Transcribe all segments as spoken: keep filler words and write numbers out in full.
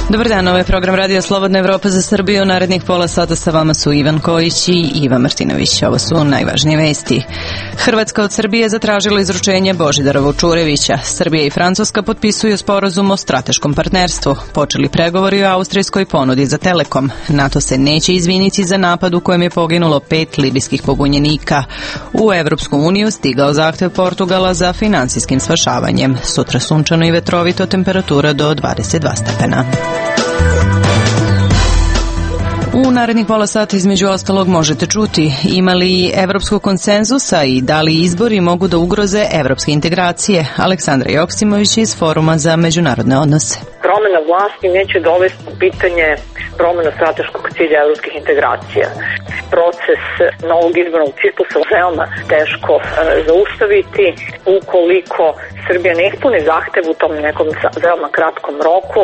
Dobar dan, ovo je program Radio Slobodna Evropa za Srbiju. Narednih pola sata sa vama su Ivan Kojić i Iva Martinović. Ovo su najvažnije vesti. Hrvatska od Srbije zatražila izručenje Božidara Vučurevića. Srbija i Francuska potpisuju sporazum o strateškom partnerstvu. Počeli pregovori o austrijskoj ponudi za Telekom. NATO se neće izviniti za napad u kojem je poginulo pet libijskih pobunjenika. U Evropsku uniju stigao zahtev Portugala za finansijskim spašavanjem. Sutra sunčano i vetrovito, temperatura do dvadeset dva stepena. U narednih pola sata između ostalog možete čuti ima li evropskog konsenzusa i da li izbori mogu da ugroze evropske integracije. Aleksandra Joksimović iz Foruma za međunarodne odnose. Promena vlasti neće dovesti u pitanje promena strateškog cilja evropskih integracija. Proces novog izbornog ciklusa veoma teško e, zaustaviti ukoliko Srbija ne ispuni zahtev u tom nekom veoma kratkom roku,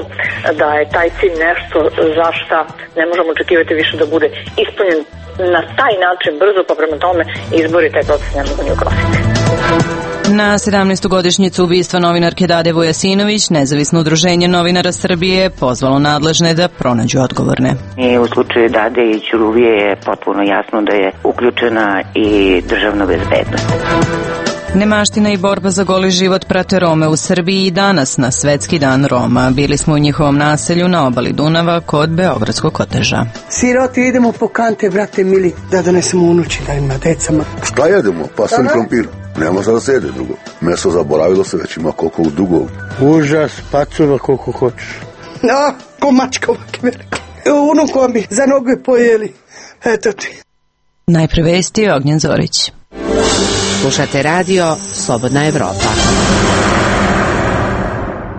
da je taj cilj nešto za šta ne možemo očekivati više da bude ispunjen na taj način brzo, pa prema tome izbori taj proces ne mogu ni ugroziti. Na sedamnaestu godišnjicu ubistva novinarke Dade Vujasinović, nezavisno udruženje novinara Srbije pozvalo nadležne da pronađu odgovorne. I u slučaju Dade i Ćuruvije je potpuno jasno da je uključena i državna bezbednost. Nemaština i borba za goli život prate Rome u Srbiji i danas na Svetski dan Roma. Bili smo u njihovom naselju na obali Dunava kod Beogradskog koteža. Siroti, idemo po kante, brate mili, da donesemo unući, da ima decama. Šta jedemo? Pasen krompir. Nema šta da se jede drugo. Meso zaboravilo se, već ima koliko dugo. Užas, pacula koliko hoćeš. No, ko mačka ovak velika. Unuko bi za noge pojeli. Eto ti. Najpre vesti Ognjen Zorić. Slušate radio Slobodna Evropa.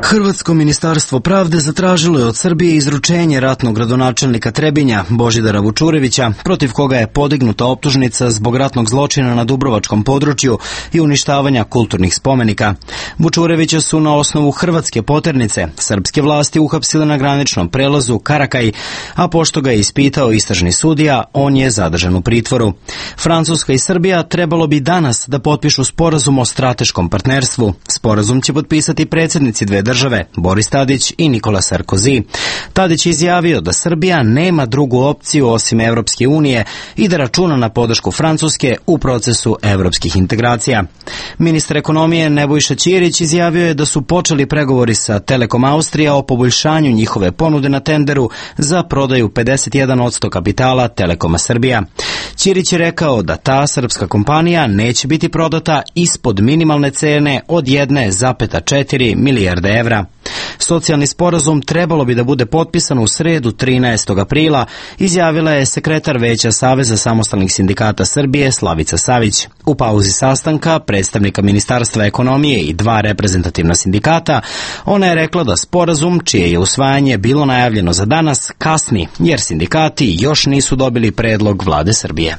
Hrvatsko ministarstvo pravde zatražilo je od Srbije izručenje ratnog gradonačelnika Trebinja, Božidara Vučurevića, protiv koga je podignuta optužnica zbog ratnog zločina na Dubrovačkom području i uništavanja kulturnih spomenika. Vučurevića su na osnovu hrvatske poternice srpske vlasti uhapsile na graničnom prelazu Karakaj, a pošto ga je ispitao istražni sudija, on je zadržan u pritvoru. Francuska i Srbija trebalo bi danas da potpišu sporazum o strateškom partnerstvu. Sporazum će potpisati predsjednici dve države, Boris Tadić i Nikola Sarkozy. Tadić je izjavio da Srbija nema drugu opciju osim Evropske unije i da računa na podršku Francuske u procesu evropskih integracija. Ministar ekonomije Nebojša Ćirić izjavio je da su počeli pregovori sa Telekom Austrija o poboljšanju njihove ponude na tenderu za prodaju pedeset jedan posto kapitala Telekoma Srbija. Ćirić je rekao da ta srpska kompanija neće biti prodata ispod minimalne cene od jedne zarez četiri milijarde evra. Socijalni sporazum trebalo bi da bude potpisan u sredu trinaestog aprila, izjavila je sekretar Veća Saveza samostalnih sindikata Srbije Slavica Savić. U pauzi sastanka predstavnika Ministarstva ekonomije i dva reprezentativna sindikata, ona je rekla da sporazum, čije je usvajanje bilo najavljeno za danas, kasni, jer sindikati još nisu dobili predlog vlade Srbije.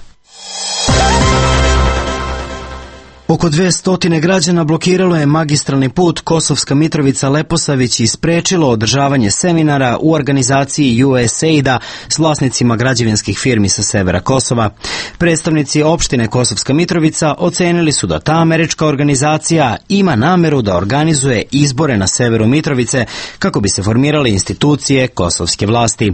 Oko dve stotine građana blokiralo je magistralni put Kosovska Mitrovica-Leposavić i sprečilo održavanje seminara u organizaciji U S A I D-a s vlasnicima građevinskih firmi sa severa Kosova. Predstavnici opštine Kosovska Mitrovica ocenili su da ta američka organizacija ima nameru da organizuje izbore na severu Mitrovice kako bi se formirale institucije kosovske vlasti.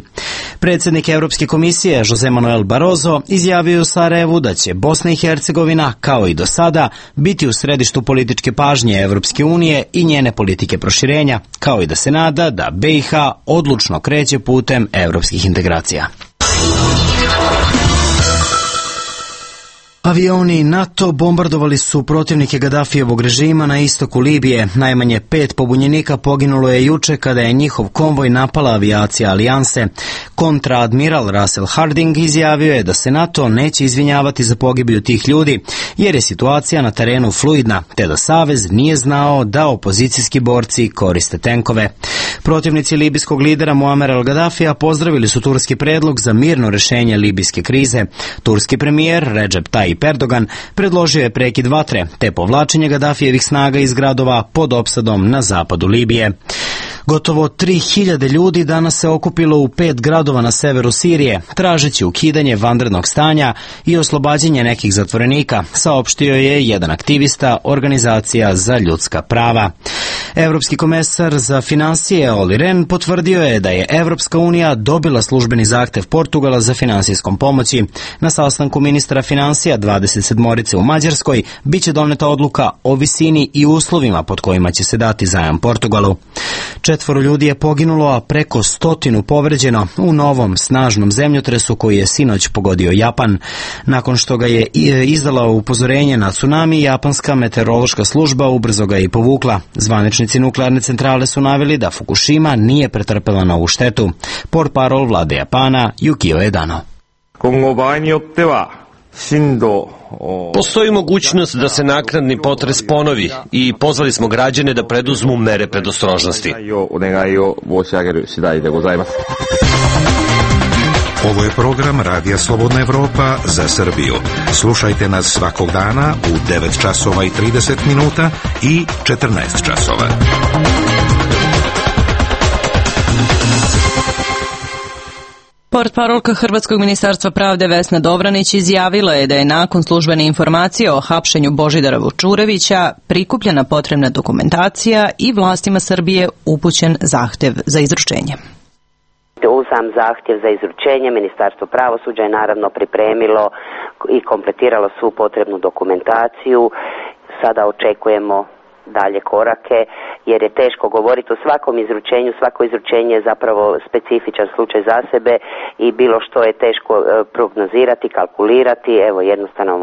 Predsjednik Evropske komisije Jose Manuel Barroso izjavio u Sarajevu da će Bosna i Hercegovina, kao i do sada, biti u središtu političke pažnje Evropske unije i njene politike proširenja, kao i da se nada da B i H odlučno kreće putem evropskih integracija. Avioni NATO bombardovali su protivnike Gadafijevog režima na istoku Libije. Najmanje pet pobunjenika poginulo je juče kada je njihov konvoj napala avijacija Alijanse. Kontraadmiral Russell Harding izjavio je da se NATO neće izvinjavati za pogibiju tih ljudi, jer je situacija na terenu fluidna, te da Savez nije znao da opozicijski borci koriste tenkove. Protivnici libijskog lidera Muamera al-Gadafija pozdravili su turski predlog za mirno rešenje libijske krize. Turski premijer Recep Tayyip Erdogan predložio je prekid vatre te povlačenje Gadafijevih snaga iz gradova pod opsadom na zapadu Libije. Gotovo tri hiljade ljudi danas se okupilo u pet gradova na severu Sirije, tražeći ukidanje vanrednog stanja i oslobađanje nekih zatvorenika, saopštio je jedan aktivista Organizacija za ljudska prava. Evropski komesar za finansije Olli Rehn potvrdio je da je Evropska unija dobila službeni zahtev Portugala za finansijskom pomoći. Na sastanku ministra finansija dvadeset sedmorice u Mađarskoj biće doneta odluka o visini i uslovima pod kojima će se dati zajam Portugalu. Četvoro ljudi je poginulo, a preko stotinu povređeno u novom snažnom zemljotresu koji je sinoć pogodio Japan. Nakon što ga je izdala upozorenje na tsunami, japanska meteorološka služba ubrzo ga je i povukla. Zvaničnici nuklearne centrale su naveli da Fukushima nije pretrpela novu štetu. Portparol vlade Japana Yukio Edano. Postoji mogućnost da se naknadni potres ponovi i pozvali smo građane da preduzmu mere predostrožnosti. Ovo je program Radija Slobodna Evropa za Srbiju. Slušajte nas svakog dana u devet časova i trideset minuta i četrnaest časova. Portparolka Hrvatskog ministarstva pravde Vesna Dobranić izjavila je da je nakon službene informacije o hapšenju Božidara Vučurevića prikupljena potrebna dokumentacija i vlastima Srbije upućen zahtev za izručenje. U sam zahtjev za izručenje Ministarstvo pravosuđa je naravno pripremilo i kompletiralo svu potrebnu dokumentaciju. Sada očekujemo dalje korake, jer je teško govoriti o svakom izručenju. Svako izručenje je zapravo specifičan slučaj za sebe i bilo što je teško prognozirati, kalkulirati. Evo, jednostavno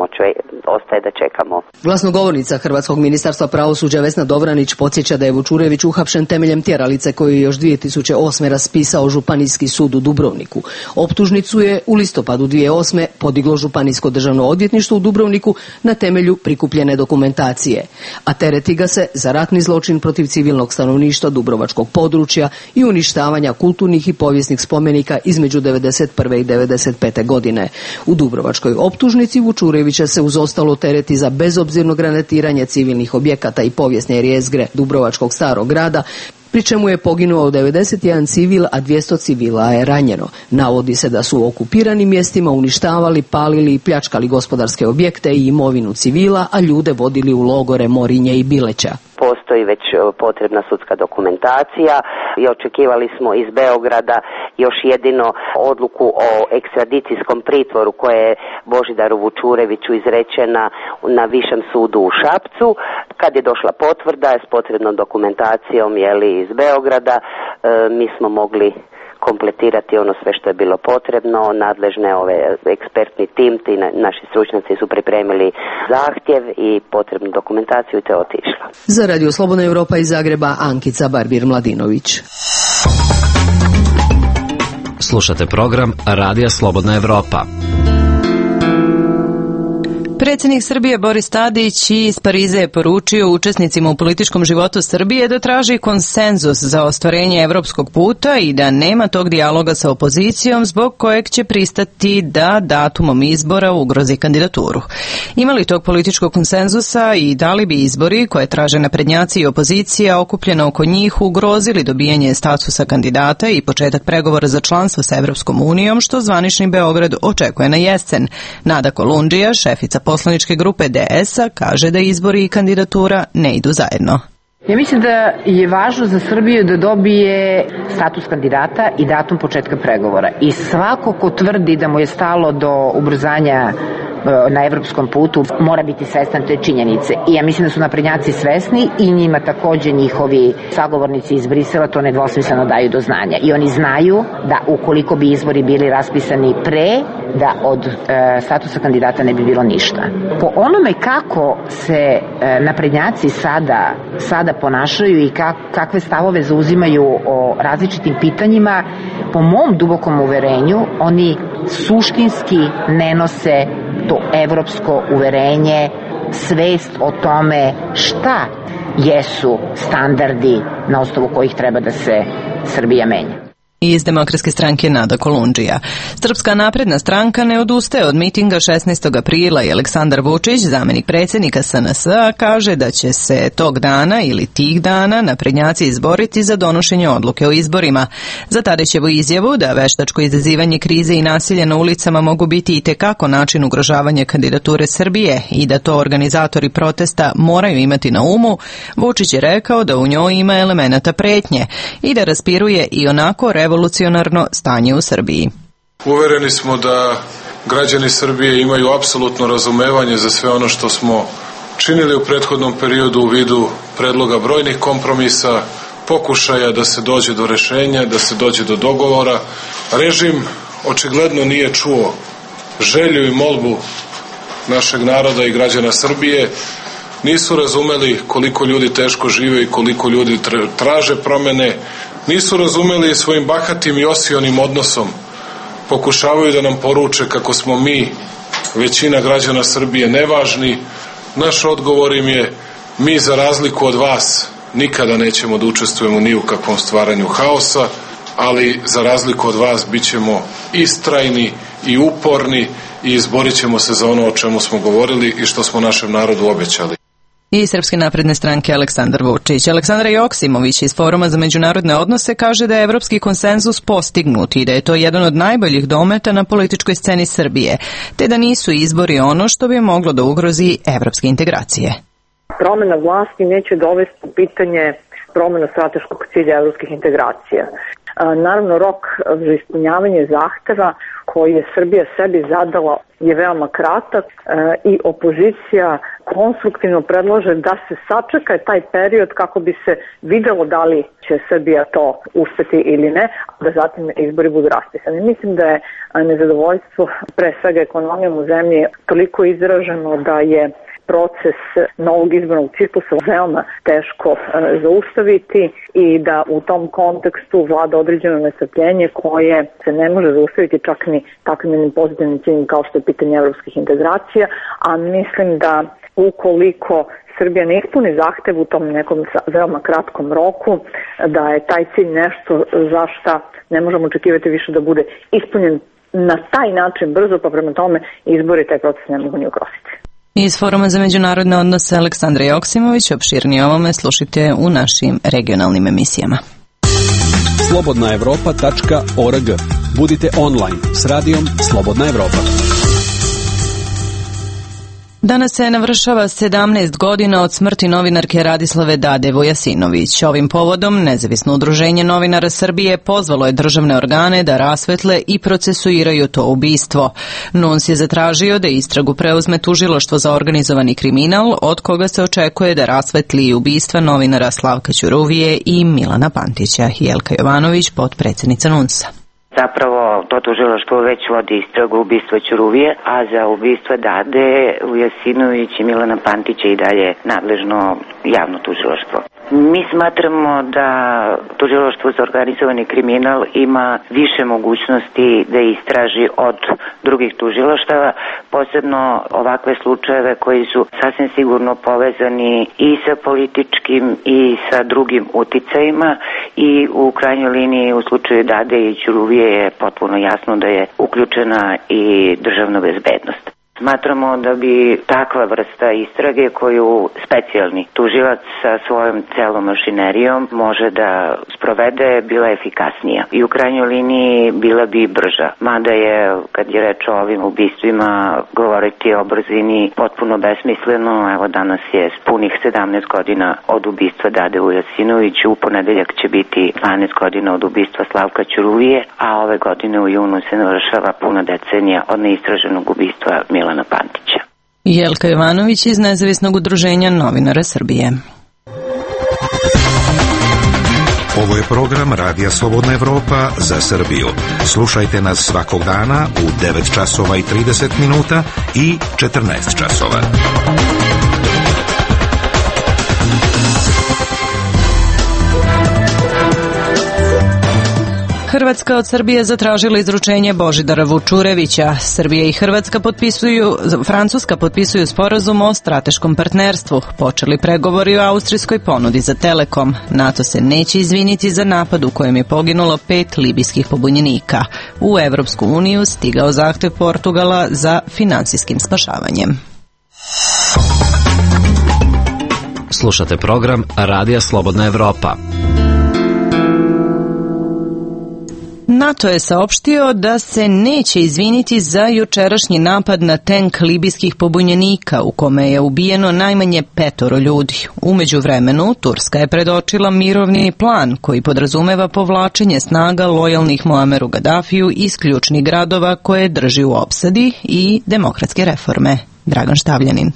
ostaje da čekamo. Glasnogovornica Hrvatskog ministarstva pravosuđa Vesna Dobranić podsjeća da je Vučurević uhapšen temeljem tjeralice koju je još dvije tisuće osme raspisao Županijski sud u Dubrovniku. Optužnicu je u listopadu dvije tisuće osme podiglo Županijsko državno odvjetništvo u Dubrovniku na temelju prikupljene dokumentacije, a tereti ga se za ratni zločin protiv civilnog stanovništva dubrovačkog područja i uništavanja kulturnih i povijesnih spomenika između devedeset prve i devedeset pete godine. U dubrovačkoj optužnici Vučurevića se uz ostalo tereti za bezobzirno granatiranje civilnih objekata i povijesne jezgre dubrovačkog starog grada, pri čemu je poginuo devedeset jedan civil, a dvjesto civila je ranjeno. Navodi se da su u okupiranim mjestima uništavali, palili i pljačkali gospodarske objekte i imovinu civila, a ljude vodili u logore Morinje i Bileća. Postoji već potrebna sudska dokumentacija i očekivali smo iz Beograda još jedino odluku o ekstradicijskom pritvoru koja je Božidaru Vučureviću izrečena na Višem sudu u Šapcu. Kad je došla potvrda s potrebnom dokumentacijom jeli, iz Beograda, e, mi smo mogli kompletirati ono sve što je bilo potrebno. Nadležne ove ekspertni tim, ti naši stručnjaci su pripremili zahtjev i potrebnu dokumentaciju i te otišla. Za Radio Slobodna Evropa iz Zagreba, Ankica Barbir-Mladinović. Slušate program Radija Slobodna Evropa. Predsjednik Srbije Boris Tadić iz Pariza je poručio učesnicima u političkom životu Srbije da traži konsenzus za ostvarenje evropskog puta i da nema tog dijaloga sa opozicijom zbog kojeg će pristati da datumom izbora ugrozi kandidaturu. Ima li tog političkog konsenzusa i da li bi izbori koje traže naprednjaci i opozicija okupljena oko njih ugrozili dobijanje statusa kandidata i početak pregovora za članstvo sa Evropskom unijom, što zvanični Beograd očekuje na jesen? Nada Kolundžija, šefica poslaničke grupe D S-a, kaže da izbori i kandidatura ne idu zajedno. Ja mislim da je važno za Srbiju da dobije status kandidata i datum početka pregovora. I svako ko tvrdi da mu je stalo do ubrzanja na evropskom putu mora biti svestan te činjenice. I ja mislim da su naprednjaci svesni i njima takođe njihovi sagovornici iz Brisela to nedvosmisleno daju do znanja. I oni znaju da ukoliko bi izbori bili raspisani pre, da od e, statusa kandidata ne bi bilo ništa. Po onome kako se e, naprednjaci sada, sada ponašaju i kak, kakve stavove zauzimaju o različitim pitanjima, po mom dubokom uverenju, oni suštinski ne nose to evropsko uverenje, svest o tome šta jesu standardi na osnovu kojih treba da se Srbija menja. Iz Demokratske stranke Nada Kolundžija. Srpska napredna stranka ne odustaje od mitinga šesnaestog aprila i Aleksandar Vučić, zamenik predsjednika S N S-a, kaže da će se tog dana ili tih dana naprednjaci izboriti za donošenje odluke o izborima. Za Tadićevu izjavu da veštačko izazivanje krize i nasilje na ulicama mogu biti i tekako način ugrožavanja kandidature Srbije i da to organizatori protesta moraju imati na umu, Vučić je rekao da u njoj ima elemenata pretnje i da raspiruje i onako revolucionarno stanje u Srbiji. Uvereni smo da građani Srbije imaju apsolutno razumevanje za sve ono što smo činili u prethodnom periodu u vidu predloga brojnih kompromisa, pokušaja da se dođe do rešenja, da se dođe do dogovora. Režim očigledno nije čuo želju i molbu našeg naroda i građana Srbije, nisu razumeli koliko ljudi teško žive i koliko ljudi traže promene, nisu razumeli svojim bahatim i osionim odnosom, pokušavaju da nam poruče kako smo mi, većina građana Srbije, nevažni. Naš odgovor im je: mi za razliku od vas nikada nećemo da učestvujemo ni u kakvom stvaranju haosa, ali za razliku od vas bit ćemo istrajni i uporni i izborit ćemo se za ono o čemu smo govorili i što smo našem narodu obećali. I Srpske napredne stranke Aleksandar Vučić. Aleksandra Joksimović iz Foruma za međunarodne odnose kaže da je evropski konsenzus postignut i da je to jedan od najboljih dometa na političkoj sceni Srbije, te da nisu izbori ono što bi moglo da ugrozi evropske integracije. Promena vlasti neće dovesti u pitanje promena strateškog cilja evropskih integracija. Naravno, rok za ispunjavanje zahteva koji je Srbija sebi zadala je veoma kratak i opozicija konstruktivno predlaže da se sačeka taj period kako bi se videlo da li će Srbija to uspeti ili ne, a da zatim izbori budu raspisani. Mislim da je nezadovoljstvo pre svega ekonomijom u zemlji toliko izraženo da je proces novog izbornog ciklusa veoma teško e, zaustaviti i da u tom kontekstu vlada određeno nestrpljenje koje se ne može zaustaviti čak ni takvim pozitivnim ciljem kao što je pitanje evropskih integracija, a mislim da ukoliko Srbija ne ispuni zahtev u tom nekom veoma kratkom roku, da je taj cilj nešto za šta ne možemo očekivati više da bude ispunjen na taj način brzo, pa prema tome izbori taj proces ne mogu ni ugroziti. Iz Foruma za međunarodne odnose Aleksandra Joksimović, opširnije ovome slušajte u našim regionalnim emisijama. slobodna evropa tačka org. Budite online s radijom Slobodna Evropa. Danas se navršava sedamnaest godina od smrti novinarke Radislave Dade Vujasinović. Ovim povodom Nezavisno udruženje novinara Srbije pozvalo je državne organe da rasvetle i procesuiraju to ubistvo. N U N S je zatražio da istragu preuzme tužilaštvo za organizovani kriminal, od koga se očekuje da rasvetli i ubistva novinara Slavka Ćuruvije i Milana Pantića. Jelka Jovanović, potpredsjednica N U N S-a. Zapravo to tužilaštvo već vodi istragu ubistva Ćuruvije, a za ubistva Dade Vujasinović i Milana Pantića i dalje nadležno javno tužilaštvo. Mi smatramo da tužilaštvo za organizovani kriminal ima više mogućnosti da istraži od drugih tužilaštava, posebno ovakve slučajeve koji su sasvim sigurno povezani i sa političkim i sa drugim uticajima i u krajnjoj liniji u slučaju Dade i Ćuruvije je potpuno jasno da je uključena i državna bezbednost. Smatramo da bi takva vrsta istrage koju specijalni tužilac sa svojom celom mašinerijom može da sprovede bila efikasnija i u krajnjoj liniji bila bi brža. Mada je, kad je reč o ovim ubistvima, govoriti o brzini potpuno besmisleno. Evo danas je punih sedamnaest godina od ubistva Dade Vujasinović, u ponedeljak će biti dvanaest godina od ubistva Slavka Ćuruvije, a ove godine u junu se navršava puna decenija od neistraženog ubistva Milana Pantića. Jelka Jovanović iz Nezavisnog udruženja novinara Srbije. Ovo je program Radija Slobodna Evropa za Srbiju. Slušajte nas svakog dana u devet časova i trideset minuta i četrnaest časova. Hrvatska od Srbije zatražila izručenje Božidara Vučurevića. Srbija i Hrvatska potpisuju, Francuska potpisuju sporazum o strateškom partnerstvu. Počeli pregovori o austrijskoj ponudi za Telekom. NATO se neće izviniti za napad u kojem je poginulo pet libijskih pobunjenika. U Evropsku uniju stigao zahtev Portugala za finansijskim spašavanjem. Slušate program Radija Slobodna Evropa. NATO je saopštio da se neće izviniti za jučerašnji napad na tenk libijskih pobunjenika u kome je ubijeno najmanje petoro ljudi. U međuvremenu, Turska je predočila mirovni plan koji podrazumeva povlačenje snaga lojalnih Muameru Gadafiju iz ključnih gradova koje drži u opsadi i demokratske reforme. Dragan Štavljanin.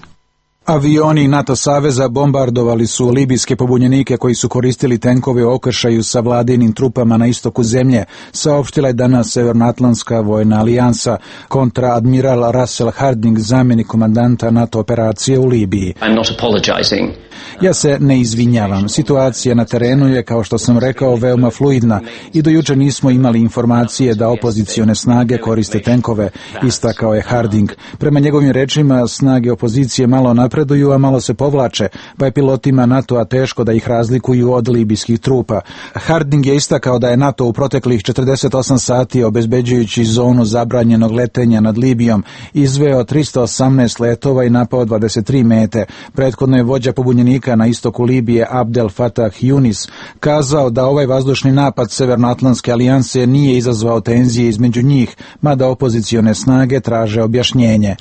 Avioni NATO saveza bombardovali su libijske pobunjenike koji su koristili tenkove u okršaju sa vladinim trupama na istoku zemlje, saopštila je danas Severnoatlantska vojna alijansa. Kontraadmiral Russell Harding, zamjenik komandanta NATO operacije u Libiji. I'm not apologizing. Ja se ne izvinjavam. Situacija na terenu je, kao što sam rekao, veoma fluidna i do juče nismo imali informacije da opozicione snage koriste tenkove, istakao je Harding. Prema njegovim rečima, snage opozicije malo napreduju, a malo se povlače, pa je pilotima NATO-a teško da ih razlikuju od libijskih trupa. Harding je istakao da je NATO u proteklih četrdeset osam sati, obezbeđujući zonu zabranjenog letenja nad Libijom, izveo tristo osamnaest letova i napao dvadeset tri mete. Prethodno je vođa pobunjenika na istoku Libije Abdel Fattah Yunis kazao da ovaj vazdušni napad Severnoatlantske alijanse nije izazvao tenzije između njih, mada opozicione snage traže objašnjenje.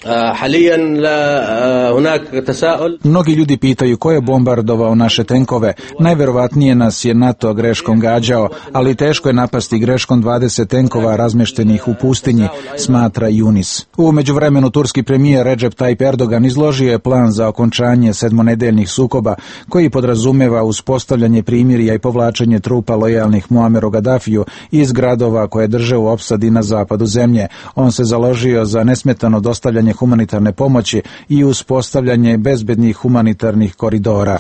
Mnogi ljudi pitaju ko je bombardovao naše tenkove. Najverovatnije nas je NATO greškom gađao, ali teško je napasti greškom dvadeset tenkova razmještenih u pustinji, smatra Yunis. U međuvremenu turski premijer Recep Tayyip Erdogan izložio je plan za okončanje sedmonedeljnih sukoba koji podrazumeva uspostavljanje primirja i povlačenje trupa lojalnih Muameru Gadafiju iz gradova koje drže u opsadi na zapadu zemlje. On se založio za nesmetano dostavljanje humanitarne pomoći i uspostavljanje bezbednih humanitarnih koridora.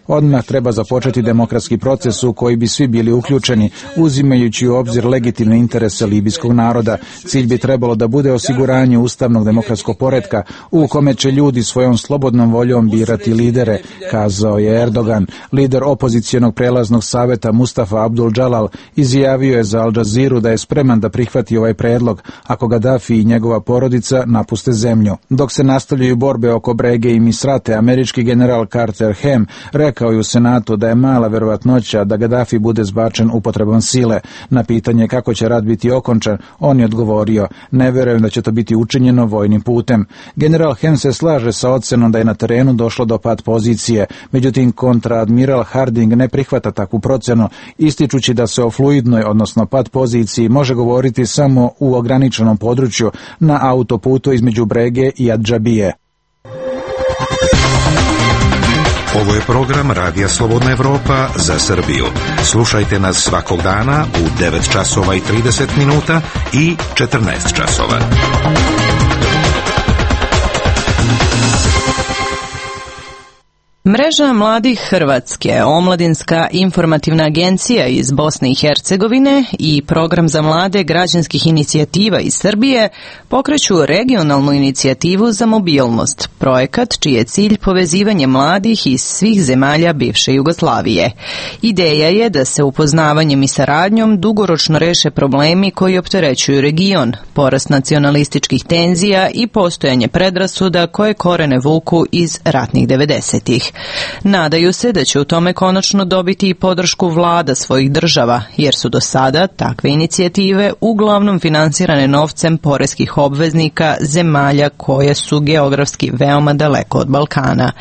Odmah treba započeti demokratski proces u koji bi svi bili uključeni, uzimajući u obzir legitimne interese libijskog naroda. Cilj bi trebalo da bude osiguranje ustavnog demokratskog poretka u kome će ljudi svojom slobodnom voljom birati lidere, kazao je Erdogan. Lider opozicijonog prelaznog saveta Mustafa Abdul Džalal izjavio je za Al Jazeeru da je spreman da prihvati ovaj predlog ako Gaddafi i njegova porodica napuste zemlju. Dok se nastavljaju borbe oko Brege i Misrate, američki general Carter Ham rekao je u Senatu da je mala verovatnoća da Gaddafi bude zbačen upotrebom sile. Na pitanje kako će rat biti okončan, on je odgovorio: ne verujem da će to biti učinjeno vojnim putem. General Ham se slaže sa ocenom da je na terenu došlo do pad pozicije, međutim kontraadmiral Harding ne prihvata takvu procenu, ističući da se o fluidnoj, odnosno pad poziciji, može govoriti samo u ograničenom području na autoputu između Brege i Adžabije. Ovo je program Radija Slobodna Evropa za Srbiju. Slušajte nas svakog dana u devet časova i trideset minuta i četrnaest časova. Mreža mladih Hrvatske, Omladinska informativna agencija iz Bosne i Hercegovine i Program za mlade građanskih inicijativa iz Srbije pokreću regionalnu inicijativu za mobilnost, projekat čiji je cilj povezivanje mladih iz svih zemalja bivše Jugoslavije. Ideja je da se upoznavanjem i saradnjom dugoročno reše problemi koji opterećuju region, porast nacionalističkih tenzija i postojanje predrasuda koje korene vuku iz ratnih devedesetih. Nadaju se da će u tome konačno dobiti i podršku vlada svojih država, jer su do sada takve inicijative uglavnom finansirane novcem poreskih obveznika zemalja koje su geografski veoma daleko od Balkana.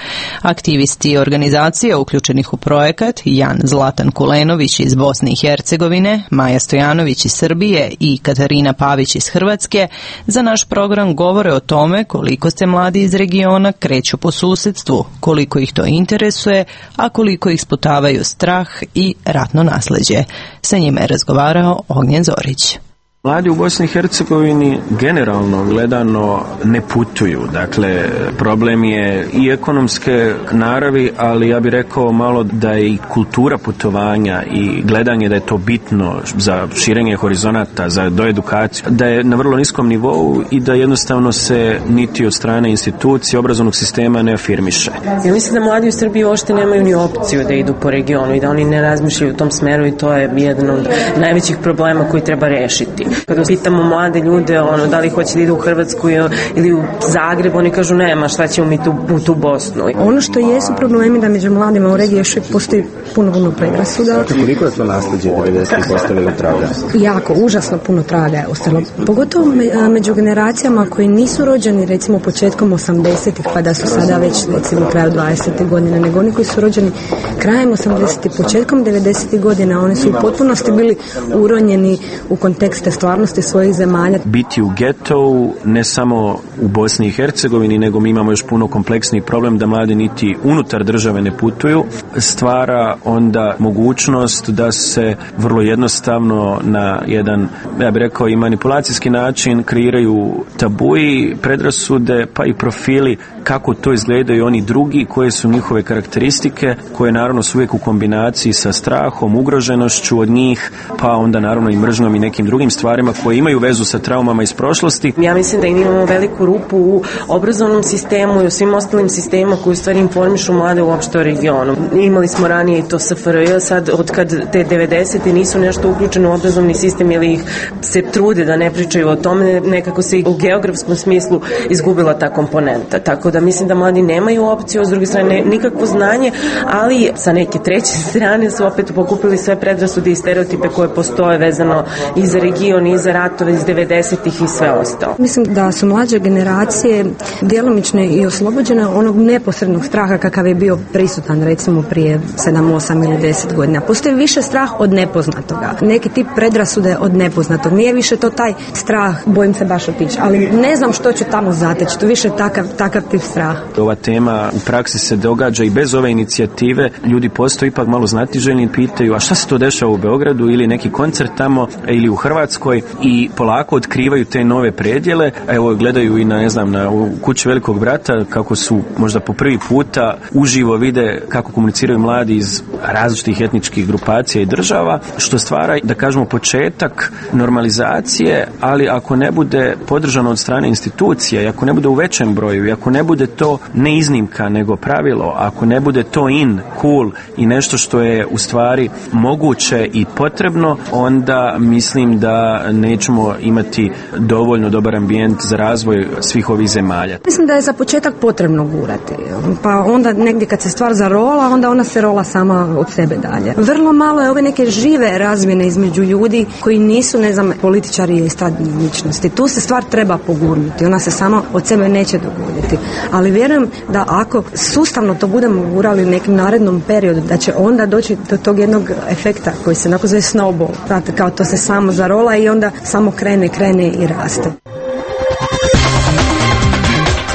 Aktivisti organizacija uključenih u projekat, Jan Zlatan Kulenović iz Bosne i Hercegovine, Maja Stojanović iz Srbije i Katarina Pavić iz Hrvatske, za naš program govore o tome koliko se mladi iz regiona kreću po susedstvu, koliko ih to interesuje, a koliko ih sputavaju strah i ratno nasleđe. Sa njima je razgovarao Ognjen Zorić. Mladi u Bosni i Hercegovini generalno gledano ne putuju. Dakle, problem je i ekonomske naravi, ali ja bih rekao malo da je i kultura putovanja i gledanje da je to bitno za širenje horizonata, za doedukaciju, da je na vrlo niskom nivou i da jednostavno se niti od strane institucije obrazovnog sistema ne afirmiše. Ja mislim da mladi u Srbiji uopšte nemaju ni opciju da idu po regionu i da oni ne razmišljaju u tom smeru i to je jedan od najvećih problema koji treba rešiti. Kada pitamo mlade ljude ono, da li hoće da idu u Hrvatsku ili u Zagreb, oni kažu nema, šta ćemo mi tu, u tu Bosnu. Ono što jesu problemi da među mladima u regiji još postoji puno, puno predrasuda. Koliko je to nasljeđe devedesetih ostavilo traga? Jako, užasno puno traga je ostalo. Pogotovo me, među generacijama koji nisu rođeni recimo početkom osamdesetih pa da su sada već recimo kraju dvadesetih godine, nego oni koji su rođeni krajem osamdesetih, početkom devedesetih godina, oni su u potpunosti bili uronjeni u kontekste stvarnosti svojih zemalja. Biti u getovu ne samo u Bosni i Hercegovini, nego mi imamo još puno kompleksniji problem da mladi niti unutar države ne putuju, stvara onda mogućnost da se vrlo jednostavno na jedan, ja bih rekao, i manipulacijski način kreiraju tabuji, predrasude, pa i profili kako to izgledaju oni drugi, koje su njihove karakteristike, koje naravno su uvijek u kombinaciji sa strahom, ugroženošću od njih, pa onda naravno i mržnjom i nekim drugim stvarima koje imaju vezu sa traumama iz prošlosti. Ja mislim da imamo veliku rupu u obrazovnom sistemu i u svim ostalim sistemima koji u stvari informišu mlade uopšte o regionu. Imali smo ranije i to S F R J, sad od kad te devedesete nisu nešto uključene u obrazovni sistem ili ih se trude da ne pričaju o tome, nekako se i u geografskom smislu izgubila ta komponenta. Tako da mislim da mladi nemaju opciju, s druge strane nikakvo znanje, ali sa neke treće strane su opet pokupili sve predrasude i stereotipe koje postoje vezano i za region i za ratove iz devedesetih i sve ostalo. Mislim da su mlađe generacije djelomično i oslobođene onog neposrednog straha kakav je bio prisutan recimo prije sedam, osam ili deset godina. Postoji više strah od nepoznatoga. Neki tip predrasude od nepoznatog. Nije više to taj strah, bojim se baš otići, ali ne znam što ću tamo zateći. To više takav, takav tip strah. Ova tema u praksi se događa i bez ove inicijative. Ljudi postaju ipak malo znatiželjni i pitaju, a šta se to dešava u Beogradu ili neki koncert tamo ili u Hrvatskoj, i polako otkrivaju te nove predjele. Evo, gledaju i na, ne znam, na Kući velikog brata kako su možda po prvi puta uživo vide kako komuniciraju mladi iz različitih etničkih grupacija i država, što stvara, da kažemo, početak normalizacije, ali ako ne bude podržano od strane institucija i ako ne bude u većem broju i ako ne bude to ne iznimka nego pravilo, ako ne bude to in, cool i nešto što je u stvari moguće i potrebno, onda mislim da nećemo imati dovoljno dobar ambijent za razvoj svih ovih zemalja. Mislim da je za početak potrebno gurati, pa onda negdje kad se stvar zarola, onda ona se rola sama od sebe dalje. Vrlo malo je ove neke žive razmjene između ljudi koji nisu, ne znam, političari i stadne ličnosti. Tu se stvar treba pogurnuti, ona se samo od sebe neće dogoditi. Ali vjerujem da ako sustavno to budemo gurali u nekim narednom periodu, da će onda doći do tog jednog efekta koji se onako zove snowball. Znate, kao to se samo zarola i onda samo krene, krene i raste.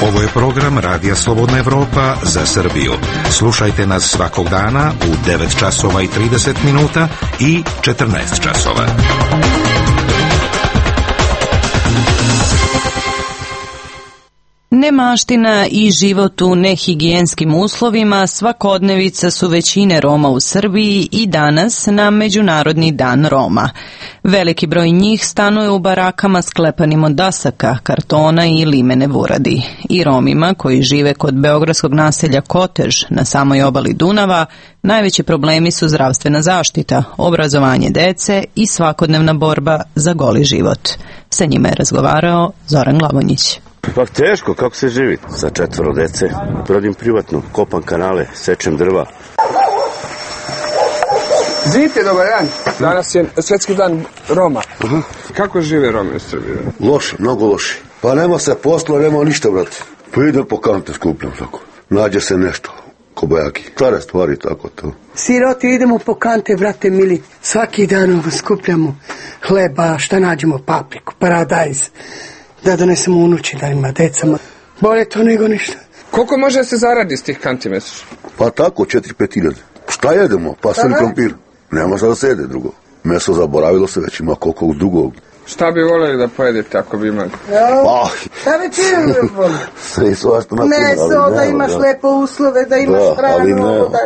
Ovo je program Radija Slobodna Evropa za Srbiju. Slušajte nas svakog dana u devet časova i trideset minuta i četrnaest časova. Nemaština i život u nehigijenskim uslovima svakodnevica su većine Roma u Srbiji i danas na Međunarodni dan Roma. Veliki broj njih stanuje u barakama sklepanim od dasaka, kartona i limene vuradi. I Romima koji žive kod beogradskog naselja Kotež na samoj obali Dunava, najveći problemi su zdravstvena zaštita, obrazovanje dece i svakodnevna borba za goli život. Sa njima je razgovarao Zoran Glavonjić. Pa teško, kako se živi sa četvoro dece. Radim privatno, kopam kanale, sečem drva. Zite, dobar dan. Danas je Svetski dan Roma. Aha. Kako žive Romi u Srbiji? Loše, mnogo loše. Pa nema se posla, nema ništa, brate. Pa idem po kante skupljam tako. Nađe se nešto, kobajaki. Stare stvari, tako to. Siroti, idemo po kante, brate mili. Svaki dan skupljamo hleba, šta nađemo, papriku, paradajz. Da donesemo unući, da ima decama. Bolje to nego ništa. Koliko može da se zaradi s tih kanti mesečno? Pa tako, četiri pet hiljada. Šta jedemo? Pa sen krompir. Nema šta da se jede drugo. Meso zaboravilo se, već ima koliko drugog. Šta bi voljeli da pojedete ako bi imali? Ja, šta bi čili volio? Sve su vašto na Meso, da imaš lepo uslove, da imaš da, hranu. ali ne. Da...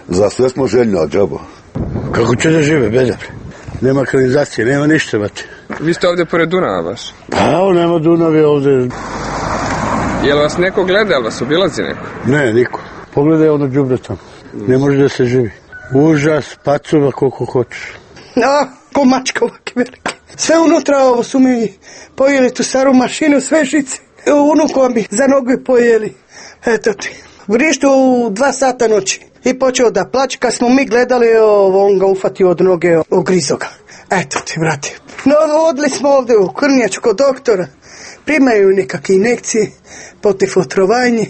Za sve smo željni, a džaba. Kako će da žive, bezapre? Nema kanalizacije, nema ništa, mate. Vi ste ovde pored Dunava baš? Pa, evo, nema Dunave ovde. Jel vas neko gleda, jel vas obilazi neko? Ne, niko. Pogledaj ono đubre tamo. Ne može da se živi. Užas, pacova koliko hoćeš. No, ko mačka ovake velike. Sve unutra ovo su mi pojeli tu staru mašinu, sve žice. Unukova mi za nogu pojeli. Eto ti. Vrištu u dva sata noći. I počeo da plaće. Kad smo mi gledali, on ga ufatio od noge, ogrizo ga. Eto ti, brate. No, odli smo ovdje u Krnjaču kod doktora. Primaju nekakve injekcije, protiv otrovanje.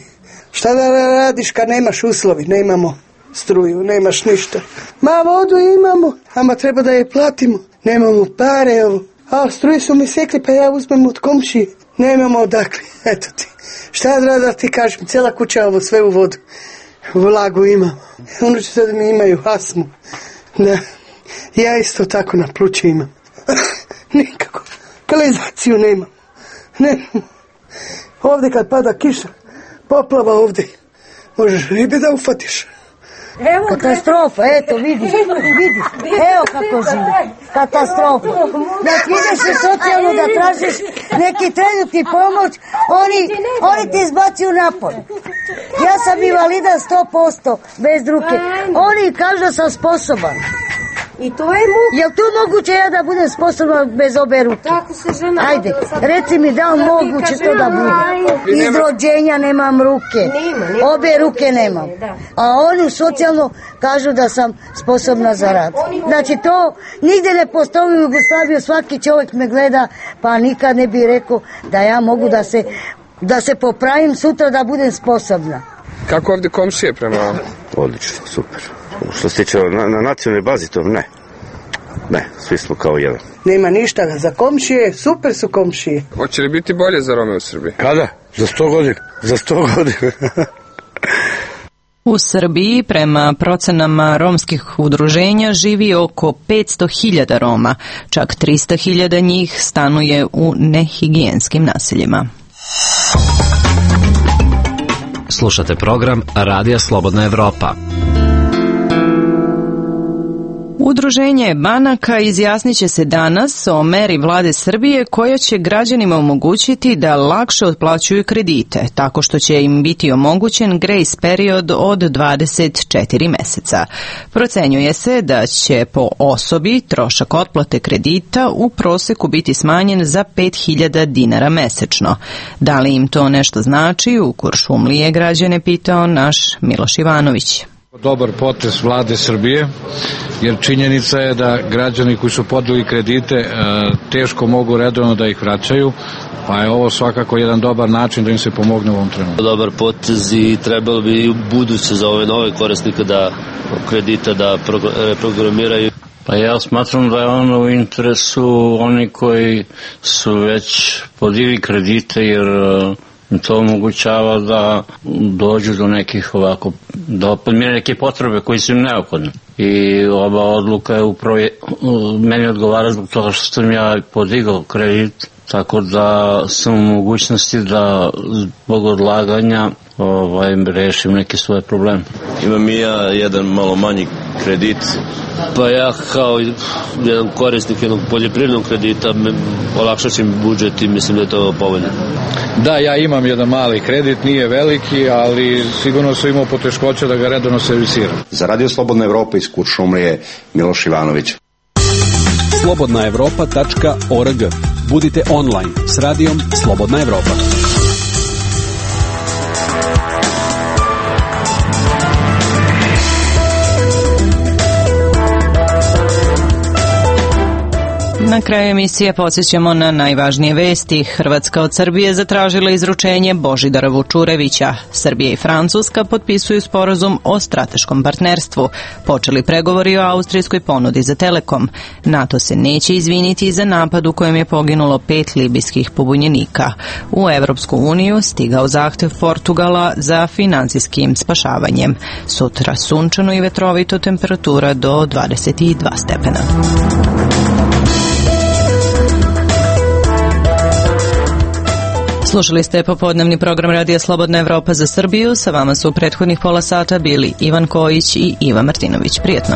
Šta da radiš kad nemaš uslovi? Nemamo struju, nemaš ništa. Ma vodu imamo, ama treba da je platimo. Nemamo pare, evo. A struju su mi sekli, pa ja uzmem od komšije. Nemamo odakle, eto ti. Šta da, da ti kažem, cijela kuća ovo sve u vodu. Vlagu imamo. Unuči sad mi imaju astmu. Da. Ja isto tako na plući imam. Nikako. Kanalizaciju nemam. Nemamo. Ovdje kad pada kiša, poplava ovdje. Možeš ribe da ufatiš. Evo, katastrofa, eto, vidiš, vidiš, evo kako živi, katastrofa. Znači ideš u socijalnu da tražiš neki trenutni pomoć, oni, oni ti izbacuju napolje. Ja sam invalida sto posto bez ruke, oni kažu da sam sposoban. I to je muka. Jel to moguće ja da budem sposobna bez obe ruke? Tako se žena... Ajde, reci mi da li moguće to da bude. Iz rođenja nemam ruke. Nema, nema. Obe ruke nemam. A oni socijalno kažu da sam sposobna za rad. Znači to nigde ne postoji u Jugoslaviji, svaki čovjek me gleda, pa nikad ne bi rekao da ja mogu da se, da se popravim sutra da budem sposobna. Kako ovdje komšije prema vam? Odlično, super. Što se tiče na, na nacionalnoj bazi, to ne. Ne, svi smo kao jedan. Nema ništa za komšije, super su komšije. Hoće li biti bolje za Rome u Srbiji? Kada? Za sto godina. Za sto godina. U Srbiji, prema procenama romskih udruženja, živi oko petsto hiljada Roma. Čak trista hiljada njih stanuje u nehigijenskim naseljima. Slušate program Radija Slobodna Evropa. Udruženje banaka izjasnit će se danas o meri vlade Srbije koja će građanima omogućiti da lakše otplaćuju kredite, tako što će im biti omogućen grace period od dvadeset četiri meseca. Procenjuje se da će po osobi trošak otplate kredita u proseku biti smanjen za pet hiljada dinara mesečno. Da li im to nešto znači? U Kuršumliji je građane pitao naš Miloš Ivanović. Dobar potez vlade Srbije, jer činjenica je da građani koji su podeli kredite teško mogu redovno da ih vraćaju, pa je ovo svakako jedan dobar način da im se pomogne u ovom trenutku. Dobar potez i trebalo bi u buduće za ove nove korisnike da kredita da reprogramiraju. Pa ja smatram da je ono u interesu oni koji su već podigli kredite, jer to omogućava da dođu do nekih ovako, da podmire neke potrebe koji su im neophodne. I ova odluka je upravo, meni odgovara zbog toga što sam ja podigao kredit, tako da sam u mogućnosti da zbog odlaganja ovaj, rešim neke svoje probleme. Imam i ja jedan malo manji kredit, pa ja kao jedan korisnik jednog poljoprivrednog kredita olakšat će mi budžet i mislim da je to povoljno. Da, ja imam jedan mali kredit, nije veliki, ali sigurno sam imao poteškoća da ga redovno servisiram. Za Radio Slobodna Evropa iz Kuršumlije, Miloš Ivanović. slobodna evropa tačka org. Budite online s radijom Slobodna Evropa. Na kraju emisije podsjećamo na najvažnije vesti. Hrvatska od Srbije zatražila izručenje Božidara Vučurevića. Srbija i Francuska potpisuju sporazum o strateškom partnerstvu. Počeli pregovori o austrijskoj ponudi za Telekom. NATO se neće izviniti za napad u kojem je poginulo pet libijskih pobunjenika. U Evropsku uniju stigao zahtev Portugala za finansijskim spašavanjem. Sutra sunčano i vetrovito, temperatura do dvadeset dva stepena. Slušali ste popodnevni program Radija Slobodna Evropa za Srbiju. Sa vama su u prethodnih pola sata bili Ivan Kojić i Iva Martinović. Prijetno.